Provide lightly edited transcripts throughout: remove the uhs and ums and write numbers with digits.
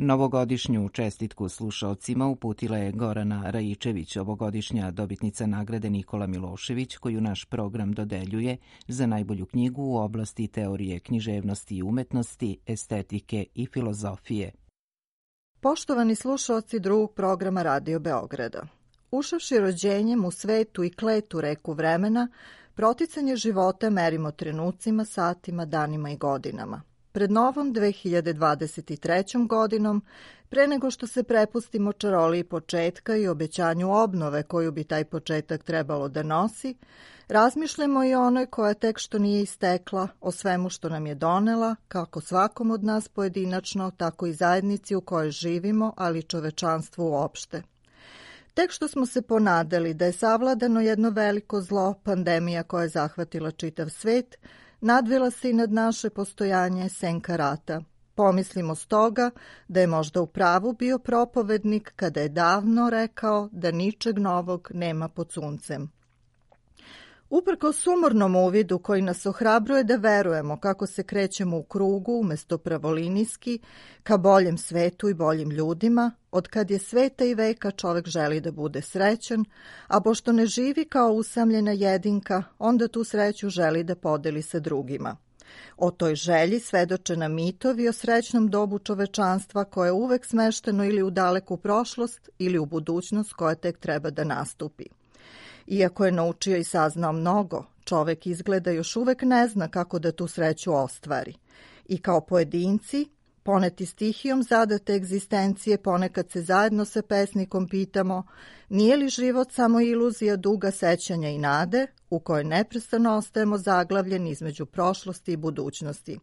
Novogodišnju čestitku slušaocima uputila je Gorana Rajičević, ovogodišnja dobitnica nagrade Nikola Milošević, koju naš program dodeljuje za najbolju knjigu u oblasti teorije književnosti i umetnosti, estetike i filozofije. Poštovani slušaoci drugog programa Radio Beograda, ušavši rođenjem u svetu i kletu reku vremena, proticanje života merimo trenucima, satima, danima i godinama. Pred novom 2023. godinom, pre nego što se prepustimo čaroliji početka i obećanju obnove koju bi taj početak trebalo da nosi, razmišljamo i onoj koja tek što nije istekla, o svemu što nam je donela, kako svakom od nas pojedinačno, tako i zajednici u kojoj živimo, ali čovečanstvu uopšte. Tek što smo se ponadali da je savladano jedno veliko zlo, pandemija koja je zahvatila čitav svet, nadvila se i nad naše postojanje senka rata. Pomislimo stoga da je možda u pravu bio propovednik kada je davno rekao da ničeg novog nema pod suncem. Uprkos sumornom uvidu koji nas ohrabruje da verujemo kako se krećemo u krugu umesto pravolinijski ka boljem svetu i boljim ljudima, od kad je sveta i veka čovek želi da bude srećan, a pošto ne živi kao usamljena jedinka, onda tu sreću želi da podeli sa drugima. O toj želji svedoče nam mitovi o srećnom dobu čovečanstva koje je uvek smešteno ili u daleku prošlost ili u budućnost koja tek treba da nastupi. Iako je naučio i saznao mnogo, čovek izgleda još uvek ne zna kako da tu sreću ostvari. I kao pojedinci, poneti stihijom zadate egzistencije, ponekad se zajedno sa pesnikom pitamo nije li život samo iluzija duga sećanja i nade u kojoj neprestano ostajemo zaglavljeni između prošlosti i budućnosti.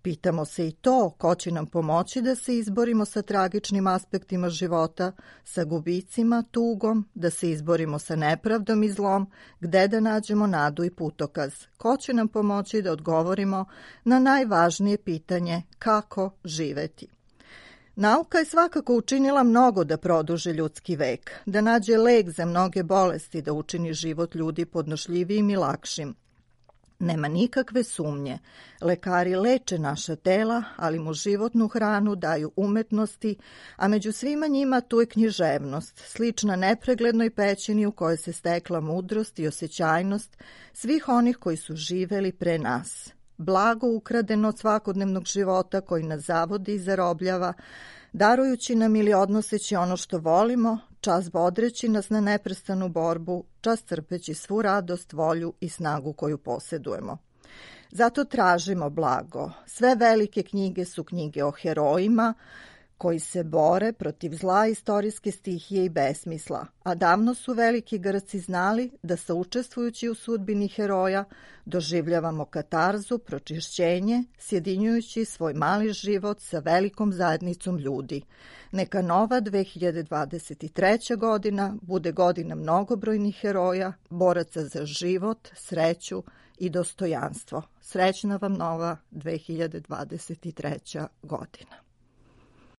Pitamo se i to ko će nam pomoći da se izborimo sa tragičnim aspektima života, sa gubicima, tugom, da se izborimo sa nepravdom i zlom, gde da nađemo nadu i putokaz. Ko će nam pomoći da odgovorimo na najvažnije pitanje kako živeti. Nauka je svakako učinila mnogo da produži ljudski vek, da nađe lek za mnoge bolesti, da učini život ljudi podnošljivijim i lakšim. Nema nikakve sumnje. Lekari leče naša tela, ali mu životnu hranu daju umetnosti, a među svima njima tu je književnost, slična nepreglednoj pećini u kojoj se stekla mudrost i osjećajnost svih onih koji su živeli pre nas. Blago ukradeno od svakodnevnog života koji nas zavodi i zarobljava, darujući nam ili odnoseći ono što volimo, čas bodreći nas na neprestanu borbu, čas crpeći svu radost, volju i snagu koju posjedujemo. Zato tražimo blago. Sve velike knjige su knjige o herojima koji se bore protiv zla, istorijske stihije i besmisla, a davno su veliki Grci znali da saučestvujući u sudbini heroja doživljavamo katarzu, pročišćenje, sjedinjujući svoj mali život sa velikom zajednicom ljudi. Neka nova 2023. godina bude godina mnogobrojnih heroja, boraca za život, sreću i dostojanstvo. Srećna vam nova 2023. godina.